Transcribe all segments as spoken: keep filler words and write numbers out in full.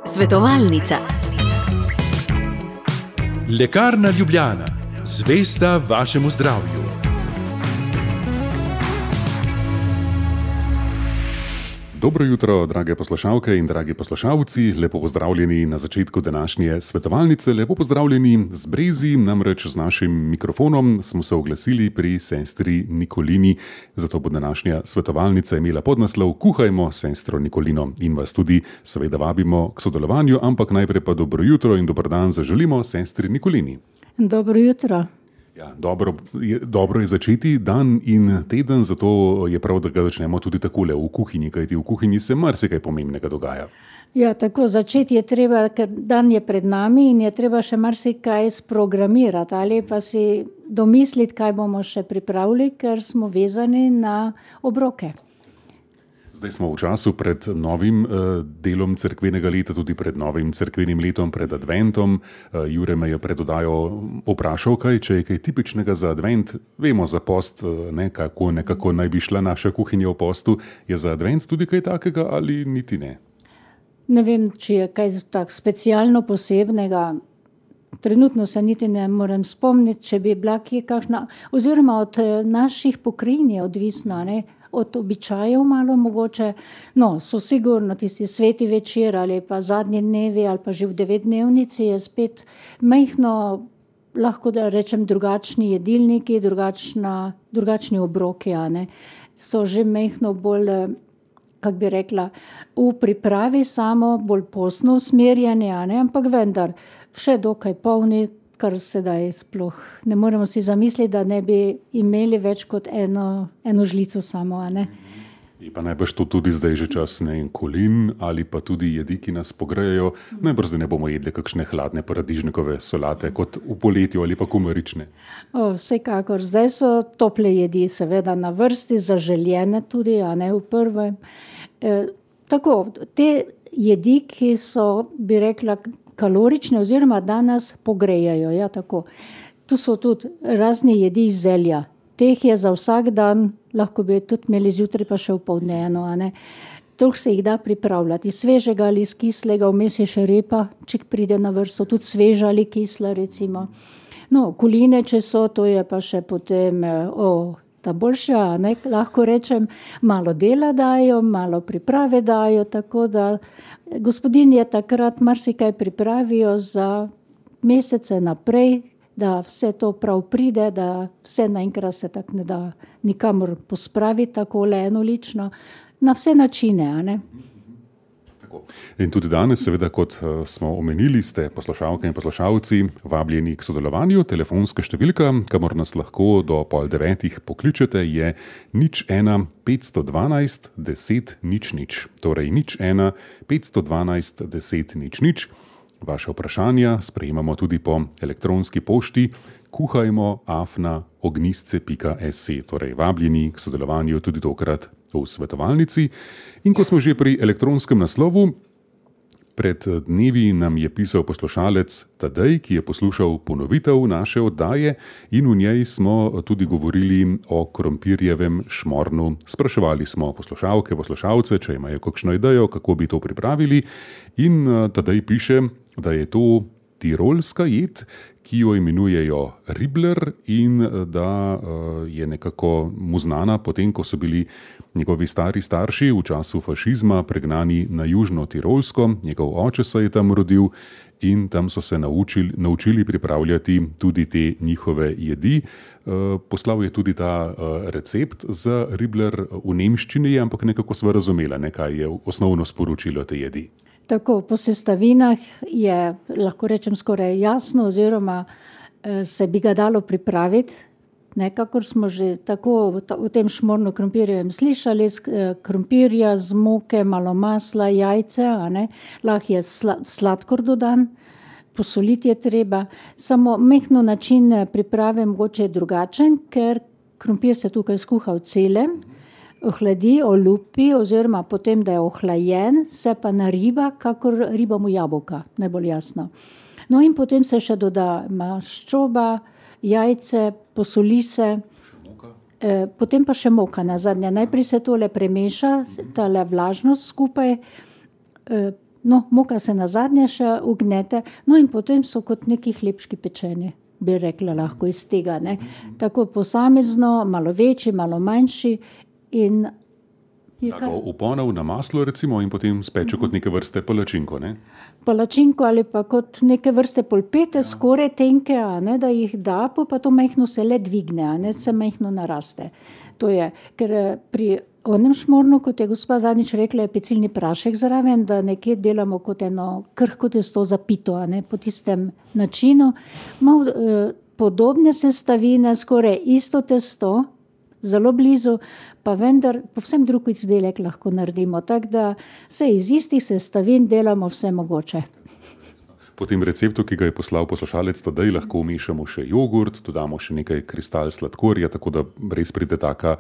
Svetovalnica. Lekarna Ljubljana, zvesta vašemu zdravju. Dobro jutro, drage poslušalke in dragi poslušalci, lepo pozdravljeni na začetku današnje svetovalnice, lepo pozdravljeni z Brezi, namreč z našim mikrofonom smo se oglasili pri sestri Nikolini, zato bo današnja svetovalnica imela podnaslov Kuhajmo sestro Nikolino in vas tudi seveda vabimo k sodelovanju, ampak najprej pa dobro jutro in dober dan zaželimo sestri Nikolini. Dobro jutro. Ja, dobro, je, dobro je začeti dan in teden, zato je prav, da ga začnemo tudi takole v kuhinji, kajti v kuhinji se marsikaj pomembnega dogaja. Ja, tako začeti je treba, ker dan je pred nami in je treba še marsikaj sprogramirati ali pa si domisliti, kaj bomo še pripravili, ker smo vezani na obroke. Zdaj smo v času pred novim uh, delom cerkvenega leta, tudi pred novim cerkvenim letom, pred adventom. Uh, Jure me je pred oddajo vprašal, kaj, če je kaj tipičnega za advent. Vemo za post, uh, ne, kako nekako naj bi šla naša kuhinja v postu. Je za advent tudi kaj takega ali niti ne? Ne vem, če je kaj tak specialno posebnega. Trenutno se niti ne morem spomniti, če bi bila kje kakšna, oziroma od naših pokrin je odvisna, ne? Od običajev malo mogoče, no, so sigurno tisti sveti večer ali pa zadnji dnevi ali pa že v devetdnevnici je spet majhno, lahko da rečem, drugačni jedilniki, drugačna, drugačni obroki, a ne, so že majhno bolj, kak bi rekla, v pripravi samo bolj postno usmerjanje, a ne, ampak vendar še dokaj polni, kar sedaj sploh ne moremo si zamisliti, da ne bi imeli več kot eno, eno žlico samo, a ne. In pa najbrž to tudi zdaj že čas ne kolin ali pa tudi jedi, ki nas pogrejejo. Najbrž zdaj ne bomo jedli kakšne hladne paradižnikove solate kot v poletju ali pa kumarične. O, vsekakor, zdaj so tople jedi seveda na vrsti, zaželjene tudi, a ne v prvem. E, tako, te jedi, ki so, bi rekla, kalorične oziroma da nas pogrejajo, ja, tako. Tu so tudi razni jedi iz zelja. Teh je za vsak dan, lahko bi tudi imeli zjutraj pa še opoldne eno, a ne. Toliko se jih da pripravljati, svežega ali iz kislega, vmes je še repa, če pride na vrsto, tudi sveža ali kisla, recimo. No, koline, če so, to je pa še potem, o, ta boljša, ne, lahko rečem, malo dela dajo, malo priprave dajo, tako da gospodinje takrat marsikaj pripravijo za mesece naprej, da vse to prav pride, da vse naenkrat se tak ne da nikamor pospraviti takole enolično, na vse načine, a ne. In tudi danes, seveda, kot smo omenili, ste poslušalke in poslušalci vabljeni k sodelovanju. Telefonska številka, kamor nas lahko do pol devetih pokličete, je nič ena petsto dvanajst deset nič nič. Torej nič ena petsto dvanajst deset nič nič. Vaše vprašanja sprejemamo tudi po elektronski pošti kuhajmo afna ognistce pika si. Torej vabljeni k sodelovanju tudi tokrat v svetovalnici. In ko smo že pri elektronskem naslovu, pred dnevi nam je pisal poslušalec Tadej, ki je poslušal ponovitev naše oddaje in v njej smo tudi govorili o krompirjevem šmornu. Spraševali smo poslušalke, poslušalce, če imajo kakšno idejo, kako bi to pripravili, in Tadej piše, da je to tirolska jed, ki jo imenujejo ribler in da je nekako mu znana potem, ko so bili njegovi stari starši v času fašizma pregnani na južno Tirolsko. Njegov oče se je tam rodil in tam so se naučili, naučili pripravljati tudi te njihove jedi. Poslal je tudi ta recept za ribler v nemščini, ampak nekako sva razumela, ne, kaj je osnovno sporočilo te jedi. Tako, po sestavinah je, lahko rečem, skoraj jasno, oziroma se bi ga dalo pripraviti. Nekakor smo že tako v tem šmorno krompirjevem slišali, krompirja z moke, malo masla, jajce, a ne, lahko je sladkor dodan, posoliti je treba, samo mehno način priprave mogoče je drugačen, ker krompir se tukaj skuha v celem, ohladi, olupi, oziroma potem, da je ohlajen, se pa nariba, kakor ribamo jabolka, najbolj jasno. No in potem se še doda maščoba, jajce, posoli se, E, potem pa še moka na zadnje. Najprej se tole premeša, tale vlažnost skupaj, e, no, moka se na zadnje še ugnete, no in potem so kot neki hlebčki pečeni, bi rekla lahko iz tega, ne. Tako posamezno, malo večji, malo manjši in Tako v ponev na maslo recimo in potem speče kot neke vrste palačinko, ne? Palačinko ali pa kot neke vrste polpete, ja. Skoraj tenke, a ne, da jih da, pa to majhno se le dvigne, a ne, se majhno naraste. To je, ker pri onem šmornu, kot je gospa zadnjič rekla, je pecilni prašek zraven, da nekje delamo kot eno krhko testo za pito, a ne, po tistem načinu. Malo eh, podobne sestavine, skoraj isto testo, zelo blizu, pa vendar povsem drug izdelek lahko naredimo, tako da se iz istih sestavin delamo vse mogoče. Po tem receptu, ki ga je poslal poslušalec Tadej, lahko vmešamo še jogurt, dodamo še nekaj kristal sladkorja, tako da res pride taka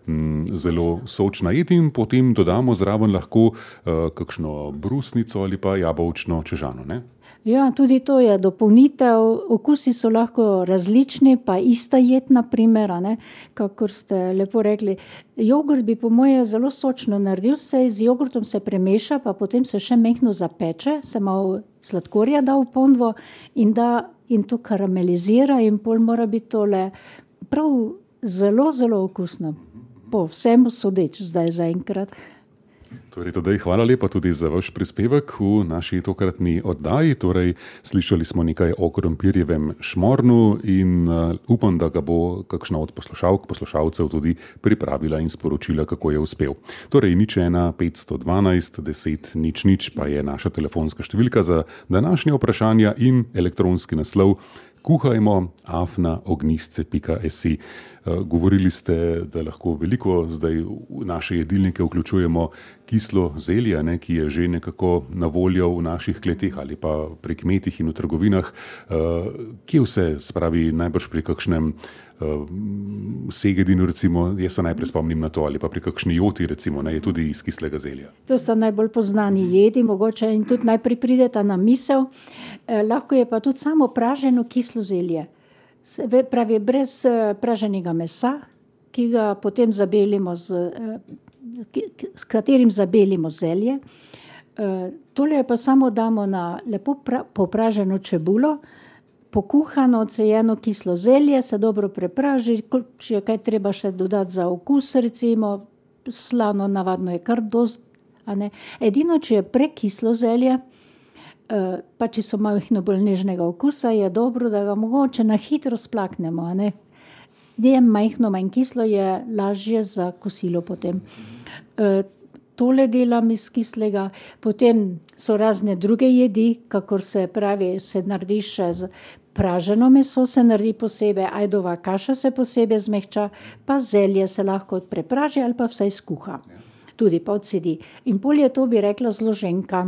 m, zelo sočna jed in potem dodamo zraven lahko uh, kakšno brusnico ali pa jabolčno čežano, ne? Ja, tudi to je dopolnitev, okusi so lahko različni, pa ista jed na primer, a ne, kakor ste lepo rekli. Jogurt bi po moje zelo sočno naredil, se z jogurtom se premeša, pa potem se še mehno zapeče, se malo sladkorja da v ponvo in da in to karamelizira in pol mora biti tole prav zelo, zelo okusno. Po vsem sodeč zdaj zaenkrat. Torej, Tadej, hvala lepa tudi za vaš prispevek v naši tokratni oddaji. Torej, slišali smo nekaj o krompirjevem šmornu in uh, upam, da ga bo kakšna od poslušalk, poslušalcev tudi pripravila in sporočila, kako je uspel. Torej, nič ena petsto dvanajst deset nič nič pa je naša telefonska številka za današnje vprašanja in elektronski naslov kuhajmo afna ognjisce pika si. Govorili ste, da lahko veliko zdaj v naše jedilnike vključujemo kislo zelje, ne, ki je že nekako na voljo v naših kleteh ali pa pri kmetih in v trgovinah. Kje vse, spravi najbrž pri kakšnem segedinu, recimo, jaz se najprej spomnim na to, ali pa pri kakšni joti, recimo, ne, je tudi iz kislega zelja. To so najbolj poznani jedi, mogoče in tudi najprej prideta na misel. Eh, lahko je pa tudi samo praženo kislo zelje. Se, pravi, brez eh, praženega mesa, ki ga potem zabelimo z, eh, ki, s katerim zabelimo zelje. Eh, tole pa samo damo na lepo pra, popraženo čebulo, pokuhano, odsejeno kislo zelje, se dobro prepraži, če je kaj treba še dodati za okus, recimo, slano navadno je kar dost, a ne. Edino, če je prekislo zelje, pa če so malo bolj nežnega okusa, je dobro, da ga mogoče na hitro splaknemo, a ne. Je majhno, manj kislo, je lažje za kosilo potem. Tole delam iz kislega, potem so razne druge jedi, kakor se pravi, se naredi še z praženo meso, se naredi posebej, ajdova kaša se posebej zmehča, pa zelje se lahko prepraži ali pa vsaj skuha. Tudi pa odsedi. In pol je to, bi rekla, zloženka.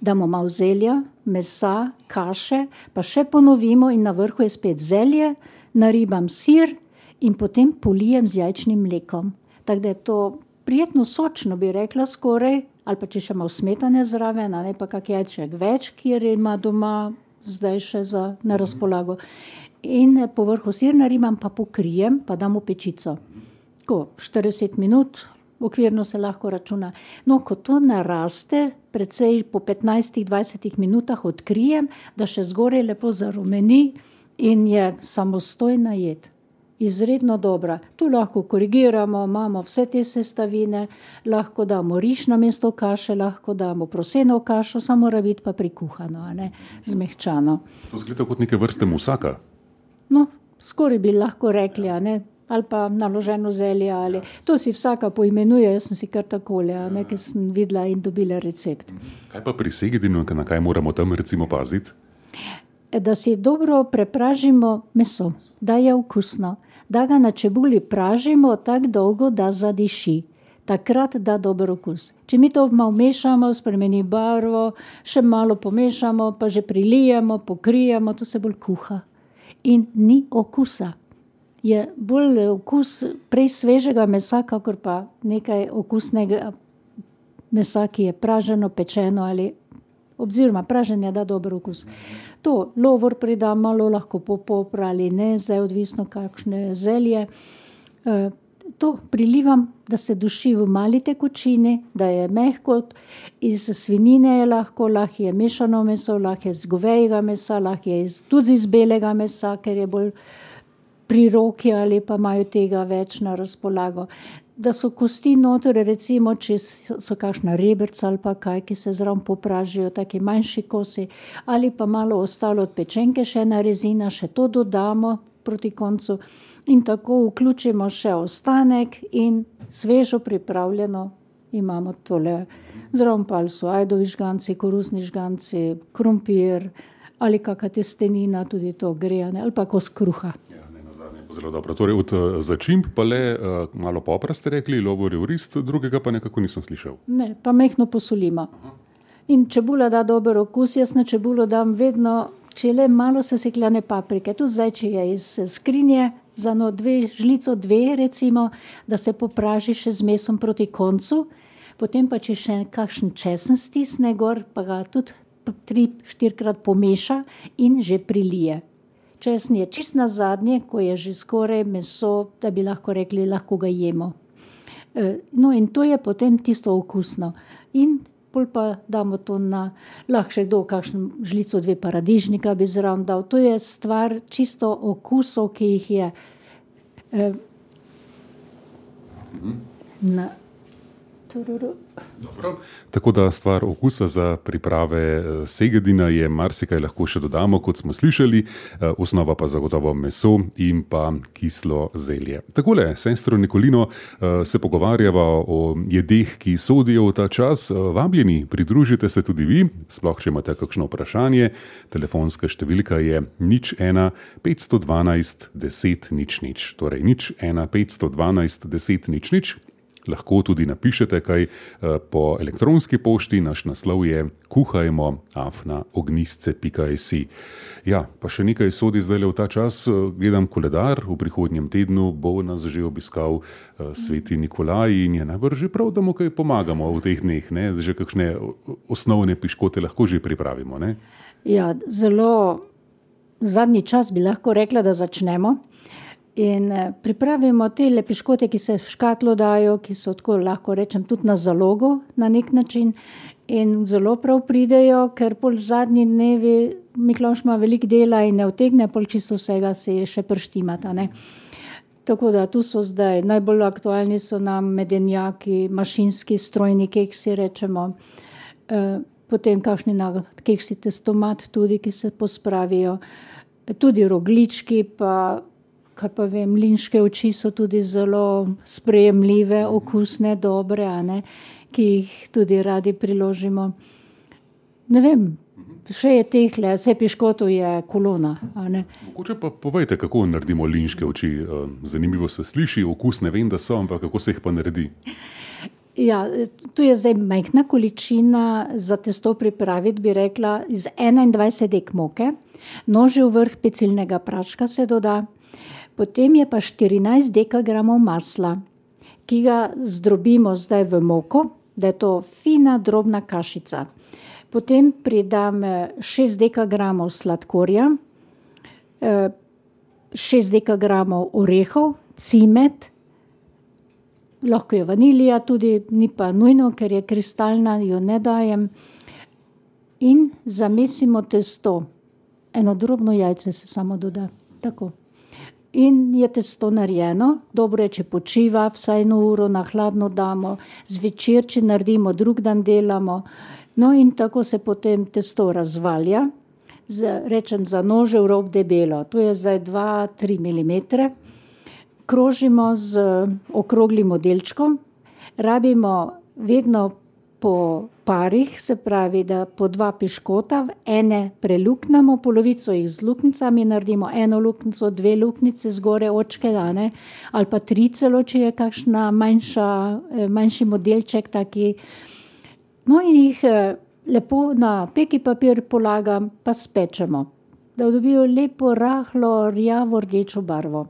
Damo malo zelja, mesa, kaše, pa še ponovimo in na vrhu je spet zelje, naribam sir in potem polijem z jajčnim mlekom. Tako da je to prijetno sočno, bi rekla, skoraj, ali pa če še malo smetane zraven, a ne pa kak jajček več, kjer ima doma zdaj še za, na razpolago. In po vrhu sir naribam, pa pokrijem, pa dam v pečico. Tako, štirideset minut, okvirno se lahko računa. No, ko to naraste, precej po petnajst do dvajset minutah odkrijem, da še zgoraj lepo zarumeni in je samostojna jed. Izredno dobra. Tu lahko korigiramo, imamo vse te sestavine, lahko damo riž namesto kaše, lahko damo proseno kašo, samo mora biti pa prikuhano, a ne, zmehčano. To zgleda kot neke vrste musaka. No, skoraj bi lahko rekli, a ne, ali pa naloženo zelje, ali to si vsaka poimenuje, jaz sem si kar takole, a ne, ker sem videla in dobila recept. Kaj pa pri segedinu, na kaj moramo tam recimo paziti? Da si dobro prepražimo meso, da je okusno, da ga na čebuli pražimo tako dolgo, da zadiši. Takrat da dober okus. Če mi to malo mešamo, spremeni barvo, še malo pomešamo, pa že prilijemo, pokrijemo, to se bolj kuha. In ni okusa. Je bolj okus prej svežega mesa, kakor pa nekaj okusnega mesa, ki je praženo, pečeno ali oziroma praženje da dober okus. To lovor pridam malo, lahko popopra ali ne, zdaj odvisno kakšne zelje. To prilivam, da se duši v mali tekočini, da je mehko, iz svinjine je lahko, lahko je mešano meso, lahko je iz govejega mesa, lahko je iz, tudi iz belega mesa, ker je bolj pri roki ali pa imajo tega več na razpolago. Da so kosti noter, recimo, če so kakšna rebrca ali pa kaj, ki se zraven popražijo, taki manjši kosi, ali pa malo ostalo od pečenke, še ena rezina, še to dodamo proti koncu. In tako vključimo še ostanek in svežo pripravljeno imamo tole. Zraven pa so ajdovi žganci, koruzni žganci, krompir ali kakšna testenina, tudi to grejane, ali pa kos kruha. Ja, ne, nazadnje bo zelo dobro. Torej od začimb pa le uh, malo popra ste rekli, lovorjev rist, drugega pa nekako nisem slišal. Ne, pa mehno posolimo. Aha. In čebula da dober okus, jaz na čebulo dam vedno, če le malo sesekljane paprike, tudi zdaj, če je iz skrinje, za no dve, žlico dve recimo, da se popraži še z mesom proti koncu, potem pa če še kakšen česen stisne gor, pa ga tudi tri, štirikrat pomeša in že prilije. Česen je čist na zadnje, ko je že skoraj meso, da bi lahko rekli, lahko ga jemo. No in to je potem tisto okusno. In pol pa damo to na, lahko še kdo kakšen žlico dve paradižnika bi zraven dal. To je stvar čisto okusov, ki jih je. Eh, na, Dobro. Tako da stvar okusa za priprave segedina je marsikaj lahko še dodamo, kot smo slišali, osnova pa zagotovo meso in pa kislo zelje. Takole, sestro Nikolino, se pogovarjava o jedeh, ki sodijo v ta čas. Vabljeni, pridružite se tudi vi, sploh če imate kakšno vprašanje. Telefonska številka je nič ena petsto dvanajst deset nič nič, torej nič ena petsto dvanajst deset nič nič. Lahko tudi napišete kaj po elektronski pošti, naš naslov je kuhajmo afna ognjisce pika si. Ja, pa še nekaj sodi zdaj v ta čas, gledam koledar, v prihodnjem tednu bo nas že obiskal sveti Nikolaj in je najbrž že prav, da mu kaj pomagamo v teh dneh, ne? Že kakšne osnovne piškote lahko že pripravimo, ne? Ja, zelo zadnji čas bi lahko rekla, da začnemo. In pripravimo te piškote, ki se v škatlo dajo, ki so tako, lahko rečem, tudi na zalogo na nek način in zelo prav pridejo, ker pol zadnji dnevi Miklavž ima veliko dela in ne utegne pol čisto vsega se še prštimata, ne. Tako da tu so zdaj, najbolj aktualni so nam medenjaki, mašinski strojni keksi, rečemo, potem kakšni na keksi testomat tudi, ki se pospravijo, tudi rogljički, pa kaj pa vem, mlinške oči so tudi zelo sprejemljive, okusne, dobre, a ne, ki jih tudi radi priložimo. Ne vem, še je tehle, vse piškotov je kolona, a ne. Mogoče pa povejte, kako naredimo mlinške oči. Zanimivo se sliši, okus ne vem, da so, ampak kako se jih pa naredi? Ja, tu je zdaj majhna količina za testo pripraviti, bi rekla, iz enaindvajset dek moke, nožev vrh pecilnega praška se doda, potem je pa štirinajst dekagramov masla, ki ga zdrobimo zdaj v moko, da je to fina, drobna kašica. Potem pridam šest dekagramov sladkorja, šest dekagramov orehov, cimet, lahko je vanilija tudi, ni pa nujno, ker je kristalna, jo ne dajem. In zamesimo testo. Eno drobno jajce se samo doda, tako. In je testo narejeno, dobro je, če počiva, vsaj eno uro na hladno damo, zvečer, če naredimo, drug dan delamo. No in tako se potem testo razvalja, z, rečem za nožev rob debelo, to je zdaj dva do tri milimetre. Krožimo z okroglim modelčkom, rabimo vedno po parih, se pravi, da po dva piškota, ene preluknemo, polovico jih z luknjicami naredimo, eno luknjico, dve luknjice zgore očke, ne, ali pa tri celo, če je kakšna manjša, manjši modelček taki. No in jih lepo na peki papir polagam, pa spečemo, da dobijo lepo rahlo rjavo rdečo barvo.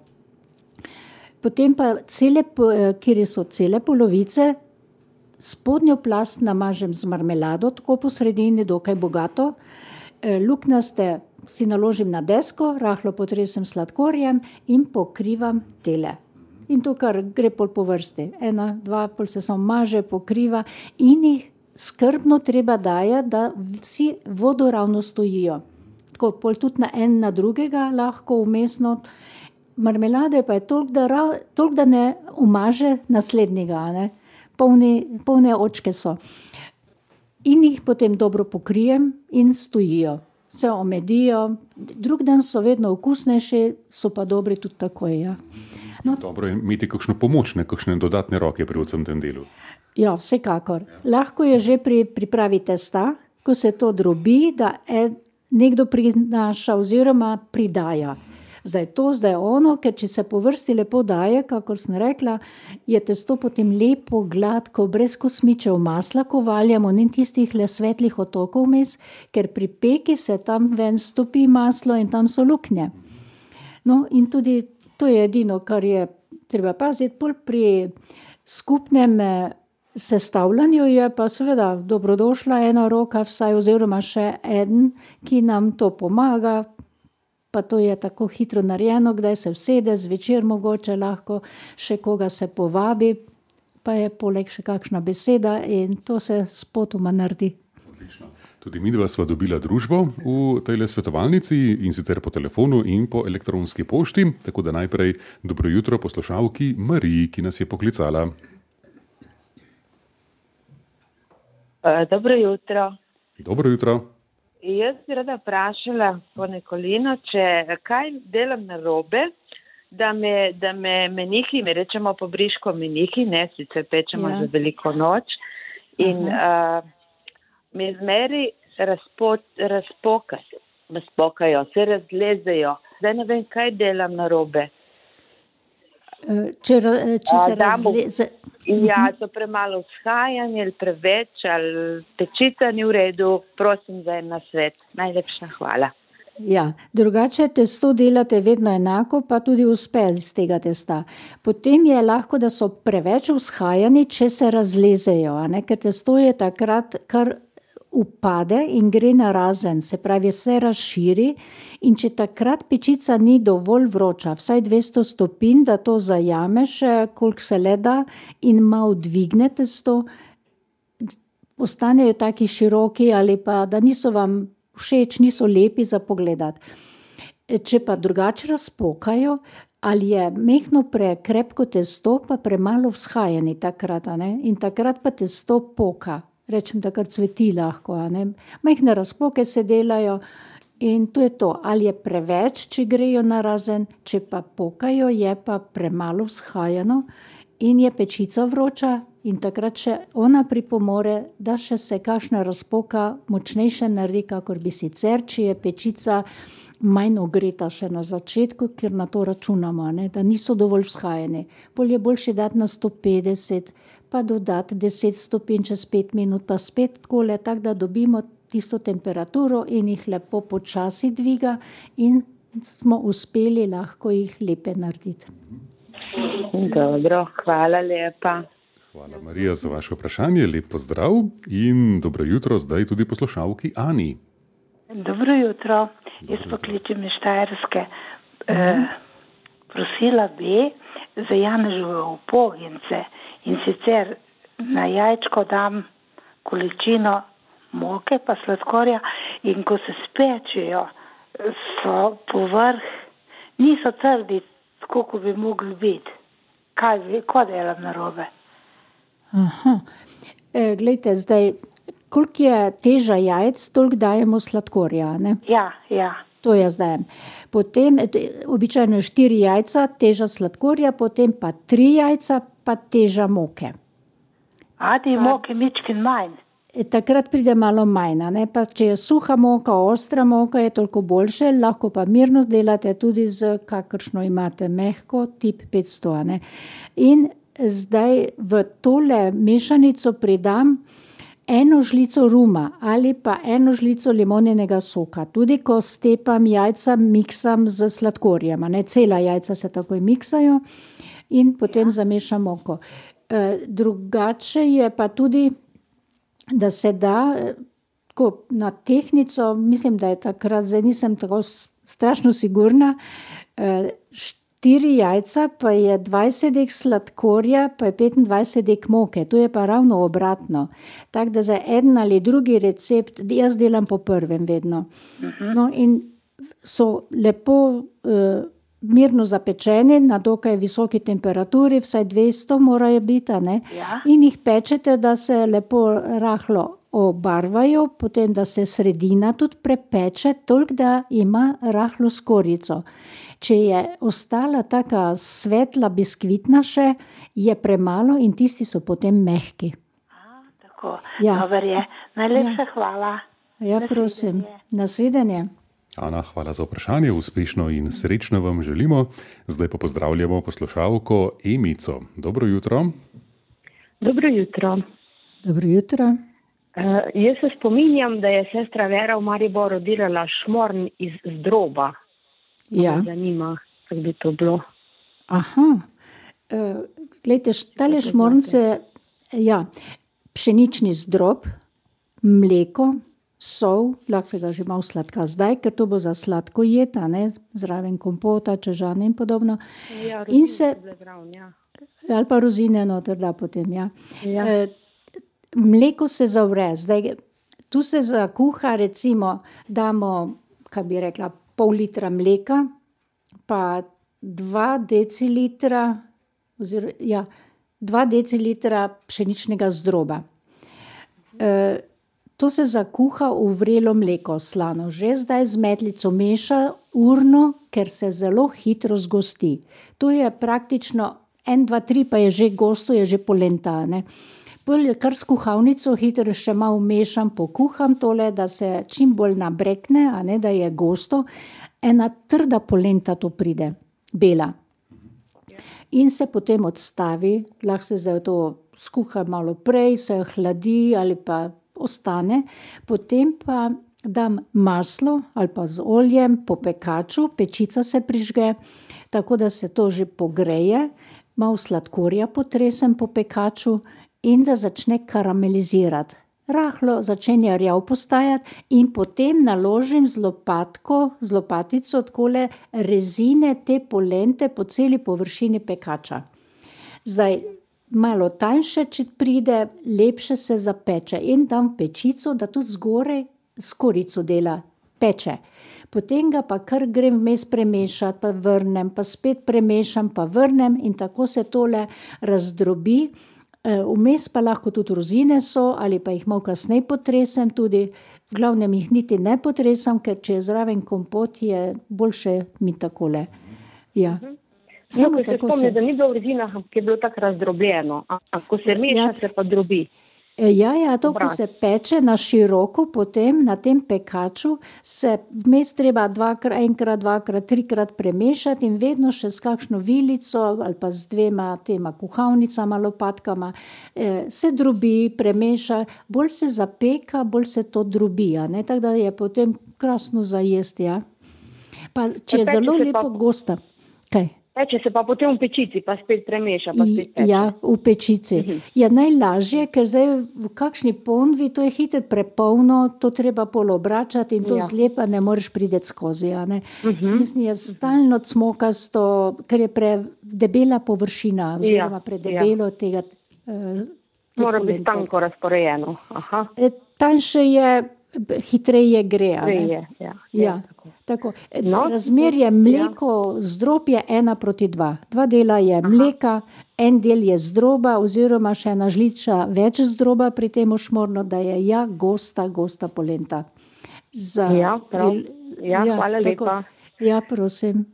Potem pa cele, kjer so cele polovice, spodnjo plast namažem z marmelado, tako po sredini, dokaj bogato. Luknjaste si naložim na desko, rahlo potresem sladkorjem in pokrivam tele. In to kar gre pol po vrsti. Ena, dva, pol se samo maže, pokriva in jih skrbno treba dajati, da vsi vodoravno stojijo. Tako pol tudi na en na drugega lahko umestno. Marmelade pa je toliko, da, ra, toliko, da ne umaže naslednjega, ne. Polni, polne očke so. In jih potem dobro pokrijem in stojijo. Se omedijo, drug dan so vedno okusnejši, so pa dobri tudi takoj, ja. No. Dobro je imeti kakšno pomoč, ne kakšne dodatne roke pri vsem tem delu. Ja, vsekakor. Lahko je že pri pripravi testa, ko se to drobi, da nekdo prinaša oziroma pridaja. Zdaj to, zdaj ono, ker če se po vrsti lepo daje, kakor sem rekla, je testo potem lepo, gladko, brez kosmičev masla, ko valjamo, ni tistih le svetlih otokov vmes, ker pri peki se tam ven stopi maslo in tam so luknje. No in tudi to je edino, kar je treba paziti, pol pri skupnem sestavljanju je pa seveda dobrodošla ena roka vsaj oziroma še eden, ki nam to pomaga, pa to je tako hitro narejeno, kdaj se usede, zvečer mogoče lahko še koga se povabi, pa je poleg še kakšna beseda in to se spotoma naredi. Odlično. Tudi midva sva dobila družbo v tejle svetovalnici in sicer po telefonu in po elektronski pošti, tako da najprej dobro jutro poslušalki Mariji, ki nas je poklicala. Dobro jutro. Dobro jutro. Jaz bi rada vprašala po Nikolino, če kaj delam narobe, da me, da me menihi, mi rečemo po briško menihi, ne, sicer pečemo ja. Za veliko noč in uh, me zmeri razpot, razpokajo, razpokajo, se razlezejo. Zdaj ne vem, kaj delam narobe. Če, če se razleze... Ja, to premalo vzhajanje ali preveč, ali pečica ni v redu, prosim za en nasvet. Najlepša hvala. Ja, drugače testo delate vedno enako, pa tudi uspe iz tega testa. Potem je lahko, da so preveč vzhajani, če se razlezejo, a ne? Ker testo je takrat kar upade in gre narazen, se pravi, se razširi in če takrat pečica ni dovolj vroča, vsaj dvesto stopinj, da to zajameš, koliko se le da in malo dvigne testo, ostanejo taki široki ali pa, da niso vam všeč, niso lepi za pogledati. Če pa drugače razpokajo, ali je mehno prekrepko testo, pa premalo vzhajani takrat, a ne? In takrat pa testo poka. Rečem, da kar cveti lahko, a ne. Majhne razpoke se delajo in to je to. Ali je preveč, če grejo narazen, če pa pokajo, je pa premalo vzhajano in je pečica vroča in takrat še ona pripomore, da še se kakšna razpoka močnejše naredi, kakor bi sicer, če je pečica manj ogreta še na začetku, ker na to računamo, ne, da niso dovolj vzhajeni. Bolje je boljše dati na sto petdeset, pa dodati deset stopinj čez pet minut, pa spet takole, tako da dobimo tisto temperaturo in jih lepo počasi dviga in smo uspeli lahko jih lepe narediti. Dobro, hvala lepa. Hvala Marija za vaše vprašanje, lep pozdrav in dobro jutro zdaj tudi poslušalki Ani. Dobro jutro, jaz pokličem iz Štajerske. E, prosila bi za Janežove upogince in sicer na jajčko dam količino moke pa sladkorja in ko se spečejo, so povrh, niso trdi, tako kot bi mogli biti. Kaj, ko delam narobe? Aha, e, glejte, zdaj, koliko je teža jajc, toliko dajemo sladkorja, ne? Ja, ja. To jaz dajem. Potem, običajno je štiri jajca, teža sladkorja, potem pa tri jajca, pa teža moke. A, ti moke mičkin manj? Takrat pride malo manj, ne? Pa če je suha moka, ostra moka, je toliko boljše, lahko pa mirno delate tudi z kakršno imate mehko, tip petsto, ne? In zdaj v tole mešanico pridam eno žlico ruma ali pa eno žlico limonjenega soka. Tudi ko stepam jajca, miksam z sladkorjem, ne? Cela jajca se takoj miksajo in potem zamešam moko. E, drugače je pa tudi, da se da tako na tehtnico, mislim, da je takrat, zdaj nisem tako strašno sigurna, e, štiri jajca, pa je dvajset dek sladkorja, pa je petindvajset dek moke. To je pa ravno obratno. Tako da za en ali drugi recept, jaz delam po prvem vedno. No, in so lepo uh, mirno zapečeni na dokaj visoki temperaturi, vsaj dvesto morajo biti, a ne? Ja. In jih pečete, da se lepo rahlo obarvajo, potem da se sredina tudi prepeče, toliko da ima rahlo skorjico. Če je ostala taka svetla biskvitna še, je premalo in tisti so potem mehki. A, tako, Ja. dober je. Najlepša hvala. Ja, prosim. Nasvidenje. Ana, hvala za vprašanje, uspešno in srečno vam želimo. Zdaj pa pozdravljamo poslušalko Emico. Dobro jutro. Dobro jutro. Dobro jutro. Uh, jaz se spominjam, da je sestra Vera v Mariboru delala šmorn iz zdroba. Ja. Me zanima, kako bi to bilo. Aha. Uh, glejte, tale šmornce, ja, pšenični zdrob, mleko, sol, lahko se ga že malo sladka zdaj, ker to bo za sladko jed, a ne, zraven kompota, čežane in podobno. Ja, In se- so bile zraven, ja. Ali pa rozine noter da potem, ja. Ja. E, mleko se zavre. Zdaj, tu se zakuha, recimo, damo, kaj bi rekla, pol litra mleka, pa dva decilitra, oziroma, ja, dva decilitra pšeničnega zdroba. E, to se zakuha v vrelo mleko, slano. Že zdaj z metlico meša urno, ker se zelo hitro zgosti. To je praktično en, dva, tri, pa je že gosto, je že polenta, ne. Pol je kar s kuhalnico hitro še malo mešam, pokuham tole, da se čim bolj nabrekne, a ne, da je gosto. Ena trda polenta to pride, bela. In se potem odstavi, lahko se zdaj to skuha malo prej, se hladi ali pa ostane. Potem pa dam maslo ali pa z oljem po pekaču, pečica se prižge, tako da se to že pogreje, malo sladkorja potresem po pekaču in da začne karamelizirati. Rahlo začenja rjav postajati in potem naložim z lopatko, z lopatico takole rezine te polente po celi površini pekača. Zdaj, malo tanjše, če pride, lepše se zapeče in dam v pečico, da tudi zgoraj skorico dela, peče. Potem ga pa kar grem vmes premešati, pa vrnem, pa spet premešam, pa vrnem in tako se tole razdrobi. Vmes pa lahko tudi rozine so ali pa jih malo kasneje potresem tudi. V glavnem jih niti ne potresam, ker če je zraven kompot, je boljše mi takole. Ja. No, Samo ko se tako spomnim, se... da ni bilo v rezinah, ampak je bilo tako razdrobljeno. A ko se meša, Ja. se pa drobi. E, Ja, ja, to, ko Obrat. se peče na široko, potem na tem pekaču se vmes treba dvakrat, enkrat, dvakrat, trikrat premešati in vedno še s kakšno vilico ali pa z dvema tema kuhalnicama, lopatkama, eh, se drobi, premeša, bolj se zapeka, bolj se to drobi, a ne, tako da je potem krasno za jesti, ja. Pa če je peče zelo se lepo pa- gosta. Kaj? Peče se pa potem v pečici, pa spet premeša, pa spet peče. Ja, v pečici. Je najlažje, ker zdaj v kakšni ponvi, to je hitro prepolno, to treba pol obračati in to Ja. zlepa ne moreš priti skozi. A ne? Mislim, je stalno cmokasto, ker je predebela površina, oziroma predebelo tega. eh, te Mora biti polente. tanko razporejeno. Aha. E, Tanjše je, b- hitreje gre. a ne? Prej je, ja. Ja, tako. tako. E, No, Razmerje mleko, zdrob je ena proti dva. Dva dela je mleka, en del je zdroba, oziroma še ena žliča več zdroba pri tem šmorno, da je ja gosta, gosta polenta. Za, Ja, prav. Ja, hvala tako. lepa. Ja, prosim.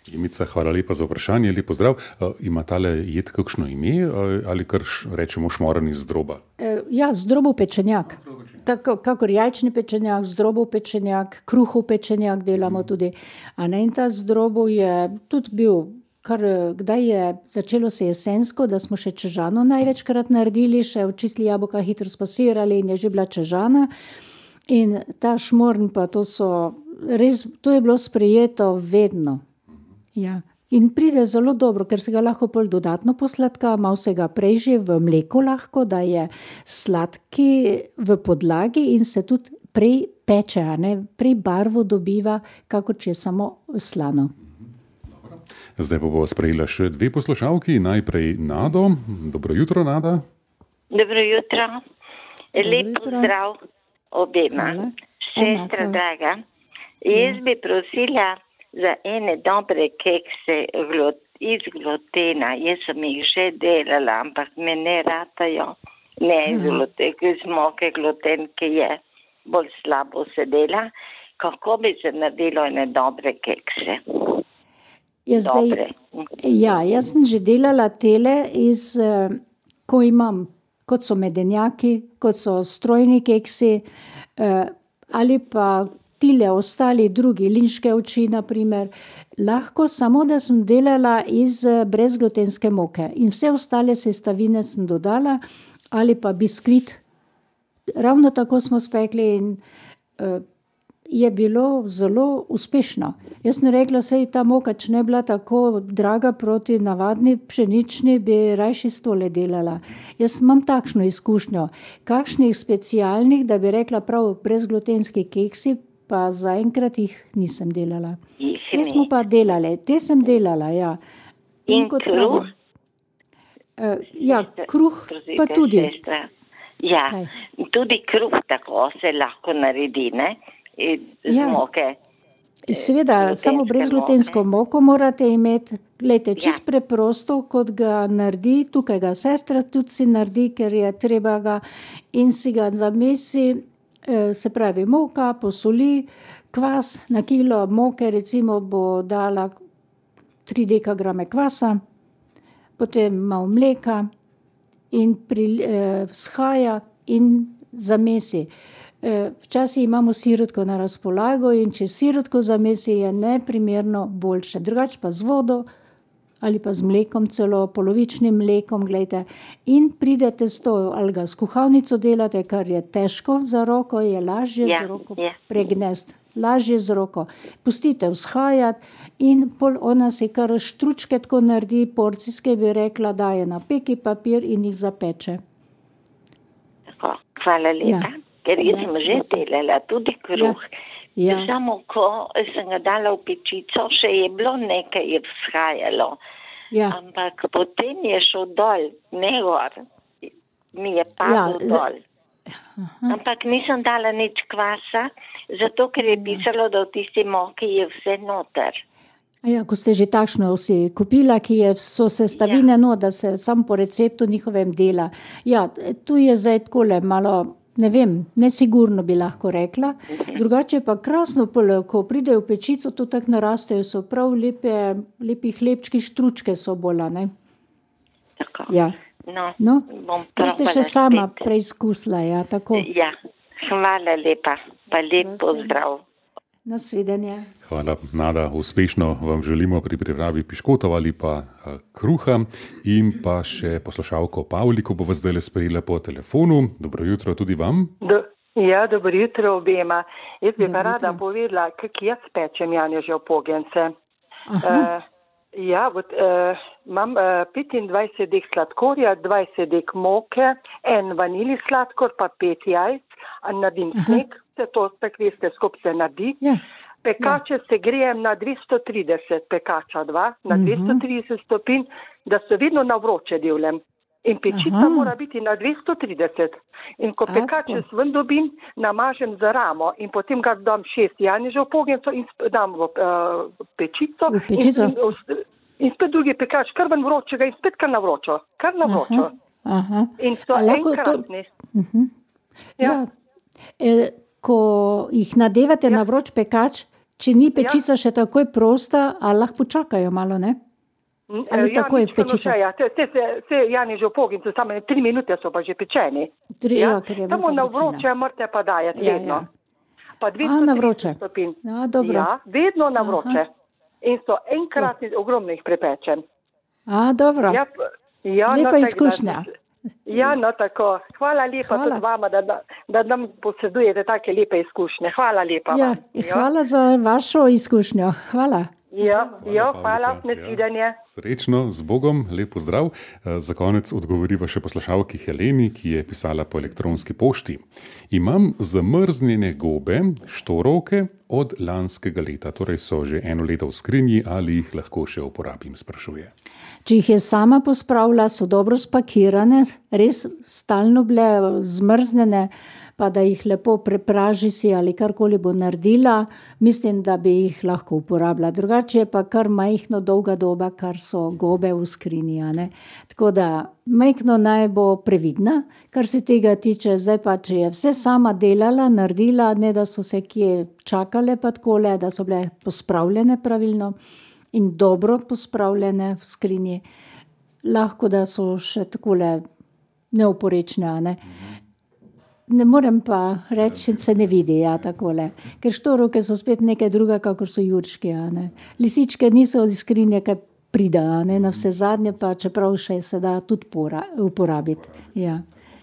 Emica, hvala lepa za vprašanje, lep pozdrav. Uh, ima tale jed kakšno ime uh, ali kar š, rečemo šmoren iz droba? E, Ja, zdrobov pečenjak. Tako, kakor jajčni pečenjak, zdrobov pečenjak, kruhov pečenjak delamo tudi. A ne, in ta zdrobov je tudi bil, kar eh, kdaj je začelo se jesensko, da smo še čežano največkrat naredili, še očistili jabolka, hitro spasirali in je že bila čežana. In ta šmorn pa to so res, to je bilo sprejeto vedno. Ja. In pride zelo dobro, ker se ga lahko pol dodatno posladka, malo se ga prej že v mleku lahko, da je sladki v podlagi in se tudi prej peče, a ne? Prej barvo dobiva, kako če je samo slano. Zdaj pa bo sprejela še dve poslušalki. Najprej Nado. Dobro jutro, Nada. Dobro jutro. Lep pozdrav obema. Sestra draga, jaz bi prosila za ene dobre kekse iz glutena. Jaz sem jih že delala, ampak me ne ratajo. Ne iz glutena, iz moke gluten, ki je bolj slabo se dela. Kako bi se naredilo ene dobre kekse? Jaz, zdaj, ja, jaz sem že delala tele, iz, ko imam, kot so medenjaki, kot so strojni keksi, ali pa tile ostali drugi, linške oči, naprimer. Lahko samo, da sem delala iz brezglutenske moke in vse ostale sestavine sem dodala, ali pa biskvit. Ravno tako smo spekli in uh, je bilo zelo uspešno. Jaz sem rekla, sej ta moka, če ne bila tako draga proti navadni pšenični, bi rajši stole delala. Jaz imam takšno izkušnjo. Kakšnih specialnih, da bi rekla prav brezglutenski keksi, pa zaenkrat jih nisem delala. Te smo pa delali, te sem delala, ja. In, in kruh? Uh, ja, kruh pa tudi. Sestra. Ja, Kaj? Tudi kruh tako se lahko naredi, ne? Z ja. moke. Seveda, samo brezglutensko moko morate imeti. Glejte, čist ja. preprosto, kot ga naredi, tukaj ga sestra tudi si naredi, ker je treba ga in si ga zamesi, se pravi moka, posoli, kvas na kilo moke, recimo bo dala tri dekagrame kvasa, potem malo mleka in pri, eh, shaja in zamesi. Včasih imamo sirotko na razpolago in če sirotko zamesi, je neprimerno boljše. Drugače pa z vodo ali pa z mlekom celo, polovičnim mlekom, gledajte, in pridete s to, ali ga s kuhalnico delate, kar je težko za roko, je lažje ja, z roko ja. pregnesti. Lažje z roko. Pustite vzhajati in pol ona si kar štručke tako naredi, porcijske bi rekla, daje na peki papir in jih zapeče. Tako, hvala lepa. Ja. Ker jaz sem že delala tudi kruh. Ja. Ja. Samo ko sem ga dala v pečico, še je bilo nekaj, je vzhajalo. Ja. Ampak potem je šel dol, ne gor. Mi je padel ja. dol. Aha. Ampak nisem dala nič kvasa, zato ker je pisalo, da v tisti moki je vse noter. Ja, ko ste že takšno si kupila, ki je so sestavine, ja. no, da se sam po receptu njihovem dela. Ja, tu je zdaj takole malo, ne vem, nesigurno bi lahko rekla. Drugače pa krasno, ko pridejo v pečico, to tako narastejo, so prav lepe, lepi hlebčki, štručke so bola, ne? Tako. Ja. No, no, to ste še sama spet preizkusila, ja, tako. Ja, hvala lepa, pa lep pozdrav. Nasvidenje. Hvala, Nada, uspešno vam želimo pri pripravi piškotov ali pa uh, kruha in pa še poslušalko Pavliko bo vas zdaj sprejela po telefonu. Dobro jutro tudi vam. Do, ja, dobro jutro obema. Jaz bi pa rada povedala, kak jaz pečem Janežev pogence. Uh, Ja, vod, uh, imam uh, petindvajset dek sladkorja, dvajset dek moke, en vanili sladkor, pa pet jajc, a naredim sneg, vse to spek veste, skup se naredi. Ja. Pekače ja. se grejem na dvesto trideset, pekača dva, na uh-huh. dvesto trideset stopinj, da se vedno na vroče devljem. In pečica Aha. mora biti na dvesto trideset. In ko pekače sven dobim, namažem za ramo in potem ga dam šest janežev pogenco in dam v uh, pečico. V pečico. In, in, in spet drugi pekač, kar ven vročega in spet kar na vročo. Kar na vročo. Aha. Aha. In so enkratni. To... Uh-huh. Ja. Ja. E, ko jih nadevate ja. na vroč pekač, če ni pečica ja. še takoj prosta, a lahko počakajo malo, ne? Ali ja, tako je pečica? Ja, te, te, te, te Janežev pogince, samo tri minute so pa že pečeni. Tri, ja? Ja, samo na vroče morate pa dajati ja, vedno. Ja. Pa dvesto stopinj. Ja, dobro. Ja, vedno na vroče. Aha. In so enkrat ogromno jih prepečen. A, dobro. Ja, ja, lepa no, izkušnja. Ja, no tako. Hvala lepa Hvala. tudi vama, da, da, da nam posedujete take lepe izkušnje. Hvala lepa ja, vam. Hvala ja. za vašo izkušnjo. Hvala. Ja, ja, hvala, nasvidenje. Ja. Srečno, z Bogom, lep pozdrav. Za konec odgovoriva še poslušalki Heleni, ki je pisala po elektronski pošti. Imam zamrznjene gobe, štorovke od lanskega leta, torej so že eno leto v skrinji, ali jih lahko še uporabim, sprašuje. Če jih je sama pospravila, so dobro spakirane, res stalno bile zmrznjene, pa da jih lepo prepraži si ali karkoli bo naredila, mislim, da bi jih lahko uporabila. Drugače je pa kar majhno dolga doba, kar so gobe v skrinji. Ne? Tako da majhno naj bo previdna, kar se tega tiče. Zdaj pa, če je vse sama delala, naredila, ne da so se kje čakale pa takole, da so bile pospravljene pravilno in dobro pospravljene v skrinji, lahko da so še takole neoporečne, ne? Ne morem pa reči, se ne vidi, ja, takole. Ker štorovke so spet nekaj druga, kakor so jurčki, ne. Lisičke niso iz skrinje, kaj prida, ne, na vse zadnje pa, čeprav še se da tudi uporabiti, ja.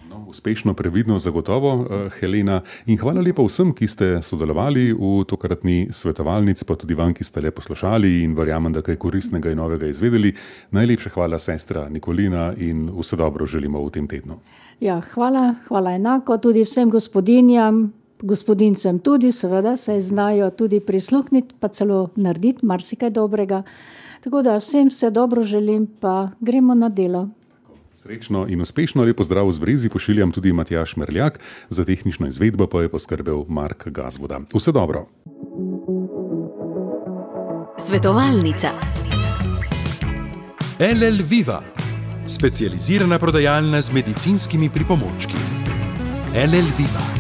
No, uspešno, previdno, zagotovo, Helena. In hvala lepa vsem, ki ste sodelovali v tokratni svetovalnici, pa tudi vam, ki ste le poslušali in verjamem, da kaj koristnega in novega izvedeli. Najlepša hvala, sestra Nikolina, in vse dobro želimo v tem tednu. Ja, hvala, hvala enako tudi vsem gospodinjam, gospodincem tudi, seveda se znajo tudi prisluhniti, pa celo narediti marsikaj dobrega. Tako da vsem vse dobro želim, pa gremo na delo. Srečno in uspešno, lep pozdrav z Brezi pošiljam tudi Matjaž Merljak, za tehnično izvedbo pa je poskrbel Mark Gazvoda. Vse dobro. Svetovalnica. L L Viva, specializirana prodajalna z medicinskimi pripomočki. L L Viva.